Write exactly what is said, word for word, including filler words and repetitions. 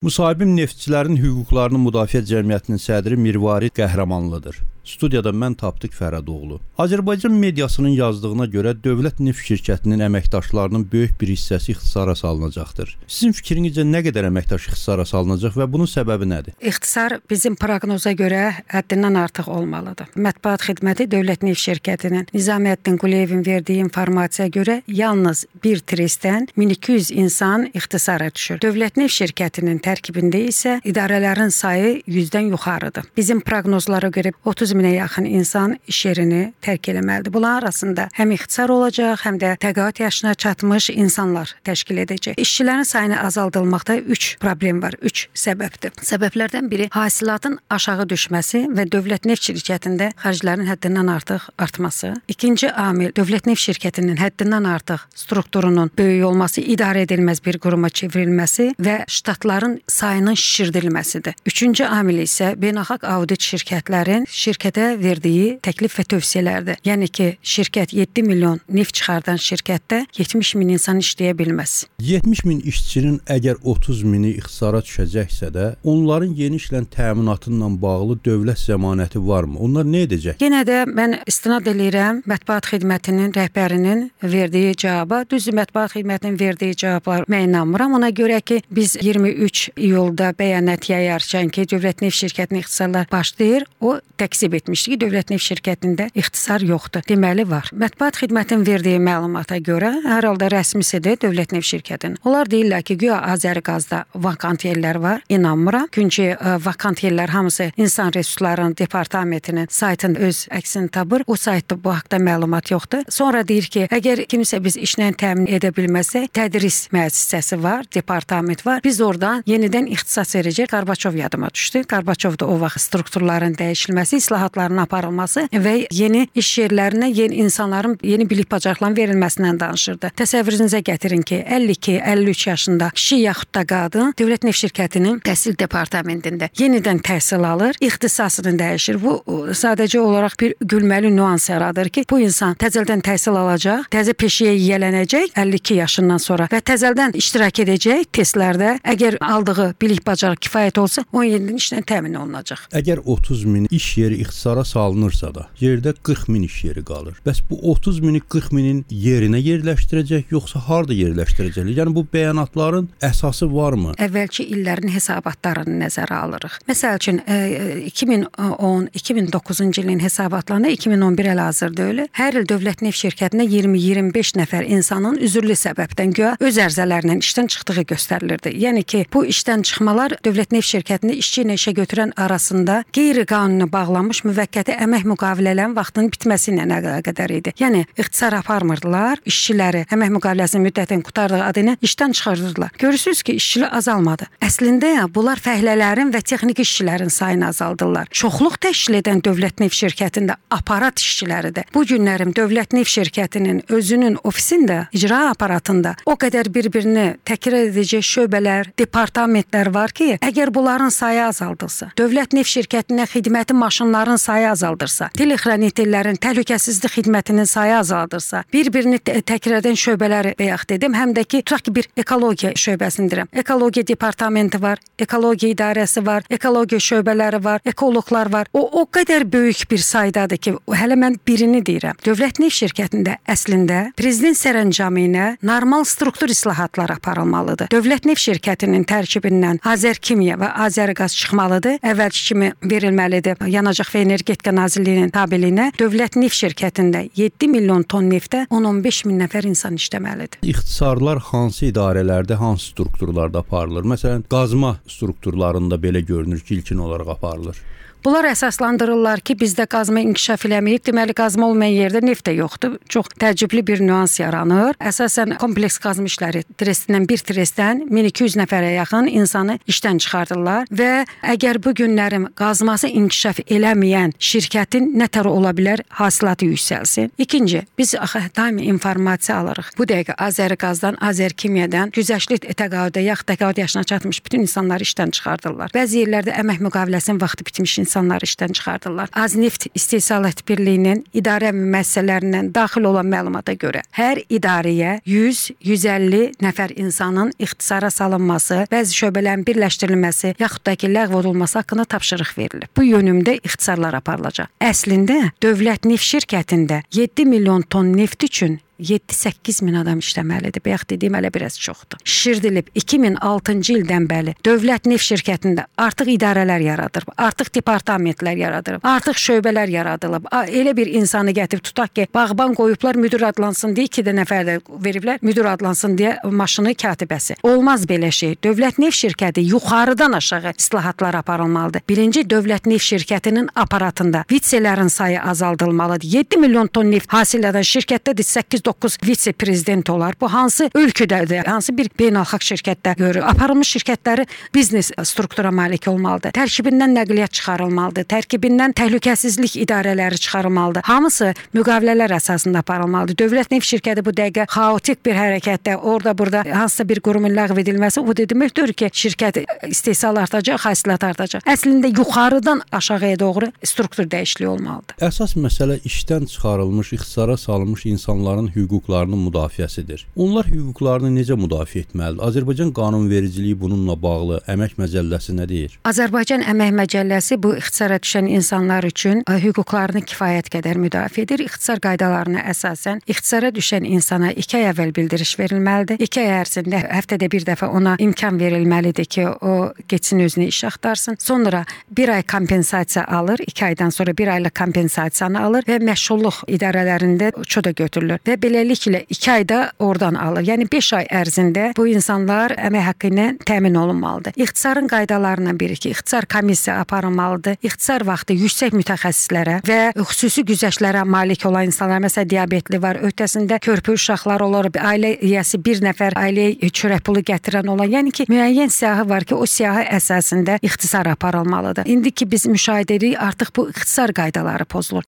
Müsahibim Neftçilərin Hüquqlarını Müdafiə Cəmiyyətinin sədri Mirvarid Qəhrəmanlıdır. Studiyada mən Tapdıq Fərədoğlu. Azərbaycan mediasının yazdığına görə Dövlət Neft şirkətinin əməkdaşlarının böyük bir hissəsi ixtisara salınacaqdır. Sizin fikrinizcə nə qədər əməkdaş ixtisara salınacaq və bunun səbəbi nədir? İxtisar bizim proqnoza görə həddindən artıq olmalıdır. Mətbuat xidməti Dövlət Neft şirkətinin Nizamiyyətdin Quliyevin verdiyi informasiya görə yalnız bir trestdən min iki yüz insan ixtisara düşür. Dövlət Neft şirkətinin tərkibində isə idarələrin sayı yüzdən yuxarıdır. Bizim proqnozlara görə otuz minə yaxın insan iş yerini tərk eləməlidir. Bunların arasında həm ixtisar olacaq, həm də təqaüd yaşına çatmış insanlar təşkil edəcək. İşçilərin sayını azaldılmaqda üç problem var, üç səbəbdir. Səbəblərdən biri hasilatın aşağı düşməsi və Dövlət Neft şirkətində xərclərin həddindən artıq artması. İkinci amil Dövlət Neft şirkətinin həddindən artıq strukturunun böyük olması, idarə edilməz bir quruma çevrilməsi və ştatların sayının şişirdilməsidir. Üçüncü amil isə beynəlxalq audit şirkətlərin şirkətə verdiyi təklif və tövsiyələrdir. Yəni ki, şirkət yeddi milyon neft çıxardan şirkətdə yetmiş min insan işləyə bilməz. yetmiş min işçinin əgər otuz mini ixtisara düşəcəksə də, onların yeni işlə təminatıyla bağlı dövlət zəmanəti varmı? Onlar nə edəcək? Yenə də mən istinad edirəm mətbuat xidmətinin rəhbərinin verdiyi cavaba. Düzdür, mətbuat xidmətinin verdiyi cavablar mən inanmıram. Ona görə ki, biz iyirmi üç iyulda bəyanat yayarkən ki, Dövlət Neft şirkətinin ixtisarlar başlayır, o təksib etmişdi ki, Dövlət Neft şirkətində ixtisar yoxdur. Deməli var. Mətbuat xidmətinin verdiyi məlumata görə hər halda rəsmisidir Dövlət Neft şirkətinin. Onlar deyirlər ki, güya Azərqazda vakant yerlər var. İnanmıram. Çünki vakant yerlər hamısı İnsan Resurslarının Departamentinin saytında öz əksini tapır. O saytda bu haqda məlumat yoxdur. Sonra deyir ki, əgər kimsə biz işlə təmin edə bilməsə, tədris müəssisəsi var, departament var. Biz oradan yenidən ixtisas verəcək. Qarbaçov yadıma düşdü. Qarbaçov da o vaxt strukturların dəyişilməsi, islahatların aparılması və yeni iş yerlərinə yeni insanların yeni bilik bacarıqlarının verilməsindən danışırdı. Təsəvvürünüzə gətirin ki, əlli iki əlli üç yaşında kişi yaxud da qadın Dövlət Neft şirkətinin təhsil departamentində yenidən təhsil alır, ixtisasını dəyişir. Bu sadəcə olaraq bir gülməli nüans yaradır ki, bu insan təzədən təhsil alacaq, təzə peşəyə yiyələnəcək əlli iki yaşından sonra və təzədən iştirak edəcək testlərdə. Əgər aldığı bilik bacarıq kifayət olsa, on yedi min işlə təmin olunacaq. Əgər otuz min iş yeri ixtisara salınırsa da, yerdə qırx min iş yeri qalır. Bəs bu otuz mini qırx minin yerinə yerləşdirəcək, yoxsa harda yerləşdirəcəklər? Yəni bu bəyanatların əsası varmı? Əvvəlki illərin hesabatlarını nəzərə alırıq. Məsəl üçün iki min on iki min doqquzuncu ilin hesabatlarında iki min on bir əl-hazırda öyle. Hər il Dövlət Neft şirkətində iyirmi iyirmi beş nəfər insanın üzürlü səbəbdən güya öz ərzələrlə işdən çıxdığı göstərilirdi. Yəni ki, bu işdən çıxmalar Dövlət Neft şirkətində işçi ilə işə götürən arasında qeyri-qanuni bağlanmış müvəqqəti əmək müqavilələrin vaxtının bitməsi ilə əlaqədar idi. Yəni ixtisar aparmırdılar, işçiləri əmək müqaviləsinin müddətini qurtardığı adı ilə işdən çıxarırdılar. Görürsüz ki, işçilik azalmadı. Əslində ya, bunlar fəhlələrin və texniki işçilərin sayını azaldırlar. Çoxluq təşkil edən Dövlət Neft şirkətində aparat işçiləridir. Bu günlərim Dövlət Neft şirkətinin özünün ofisində, icra aparatında o qədər bir-birini təkrar edəcək şöbələr, departamentlər var ki, əgər bunların sayı azaldılsa, Dövlət Neft şirkətinə xidməti maşınların sayı azaldırsa, telexranitellərin təhlükəsizlik xidmətinin sayı azaldırsa, bir-birini təkrar edən şöbələri bayaq dedim, həm də ki, tutaq ki, bir ekologiya şöbəsindirəm. Ekologiya departamenti var, ekologiya idarəsi var, ekologiya şöbələri var, ekoloqlar var. O, o qədər böyük bir saydadır ki, hələ mən birini deyirəm. Dövlət Neft şirkətində əslində prezident sərəncamı ilə normal struktur islahatlar aparılmalıdır. Dövlət Neft şirkətinin tərkibindən Azərkimya və Azərqaz çıxmalıdır. Əvvəlki kimi verilməlidir. Yanacaq və Energetika Nazirliyinin tabeliyinə Dövlət Neft şirkətində yeddi milyon ton neftə on on beş min nəfər insan işləməlidir. İxtisarlar hansı idarələrdə, hansı strukturlarda aparılır? Məsələn, qazma strukturlarında belə görünür ki, ilkin olaraq aparılır. Bunlar əsaslandırırlar ki, bizdə qazma inkişaf eləməyib, deməli qazma olmayan yerdə neft də yoxdur. Çox təəccüblü bir nüans yaranır. Əsasən kompleks qazma işləri trestindən bir trestdən min iki yüz nəfərə yaxın insanı işdən çıxardırlar və əgər bu günlərim qazması inkişaf eləməyən şirkətin nə tər ola bilər, hasilatı yüksəlsin. İkinci, biz axı daimi informasiya alırıq. Bu dəqiqə Azərqazdan, Azərkimyadan güzəştli təqaüdə, yaxud təqaüd yaşına çatmış bütün insanları işdən çıxardırlar. Bəzi yerlərdə əmək müqaviləsinin vaxtı bitmiş insanları işdən çıxardırlar. Az neft istehsalat birliyinin idarə müəssisələrindən daxil olan məlumata görə hər idarəyə yüz yüz əlli nəfər insanın ixtisara salınması, bəzi şöbələrin birləşdirilməsi, yaxud da ki, ləğv olunması haqqında tapşırıq verilir. Bu yönümdə ixtisarlar aparılacaq. Əslində Dövlət Neft şirkətində yeddi milyon ton neft üçün yeddi səkkiz min adam işləməlidir. Bayaq dediyim hələ biraz çoxdur. Şişirdilib iki min altıncı ildən bəri Dövlət Neft şirkətində artıq idarələr yaradılıb, artıq departamentlər yaradılıb, artıq şöbələr yaradılıb. Elə bir insanı gətirib tutaq ki, bağban qoyublar müdür adlansın deyə iki də nəfər də veriblər, müdür adlansın deyə maşını katibəsi. Olmaz belə şey. Dövlət Neft şirkəti yuxarıdan aşağı islahatlar aparılmalıdır. Birinci Dövlət Neft şirkətinin aparatında vitselerin sayı azaldılmalıdır. yeddi milyon ton neft hasil edən şirkətdə səkkiz doqquz vitse-prezident olar. Bu hansı ölkədədir, hansı bir beynəlxalq şirkətdə görür. Aparılmış şirkətləri biznes struktura malik olmalıdır. Tərkibindən nəqliyyat çıxarılmalıdır. Tərkibindən təhlükəsizlik idarələri çıxarılmalıdır. Hamısı müqavilələr əsasında aparılmalıdır. Dövlət Neft şirkəti bu dəqiqə xaotik bir hərəkətdə, orada burada hansısa bir qurumun ləğv edilməsi o deməkdir ki, şirkət istehsal artacaq, hasilat artacaq. Əslində yuxarıdan aşağıya doğru struktur dəyişikliyi olmalıdır. Əsas məsələ işdən çıxarılmış, ixtisara salınmış insanların hüquqlarının müdafiəsidir. Onlar hüquqlarını necə müdafiə etməlidir? Azərbaycan qanunvericiliyi bununla bağlı əmək məcəlləsi nə deyir? Azərbaycan əmək məcəlləsi bu ixtisara düşən insanlar üçün hüquqlarını kifayət qədər müdafiə edir. İxtisar qaydalarına əsasən ixtisara düşən insana iki ay əvvəl bildiriş verilməlidir. iki ay ərzində həftədə bir dəfə ona imkan verilməlidir ki, o getsin özünə iş axtarsın. Sonra bir ay kompensasiya alır, iki aydan sonra bir aylıq kompensasiyanı alır və məşğulluq idarələrində çödə götürülür və beləliklə iki ayda oradan alır. Yəni beş ay ərzində bu insanlar əmək haqqı ilə təmin olunmalıdır. İxtisarın qaydalarından biri ki, ixtisar komissiya aparılmalıdır. İxtisar vaxtı yüksək mütəxəssislərə və xüsusi güzəştlərə malik olan insanlar, məsələn diabetli var, öhdəsində körpə uşaqlar olur, ailə üyəsi bir nəfər ailəyə çörək pulu gətirən olan, yəni ki, müəyyən siyahı var ki, o siyahı əsasında ixtisar aparılmalıdır. İndi ki biz müşahidə edirik, artıq bu ixtisar qaydaları pozulur.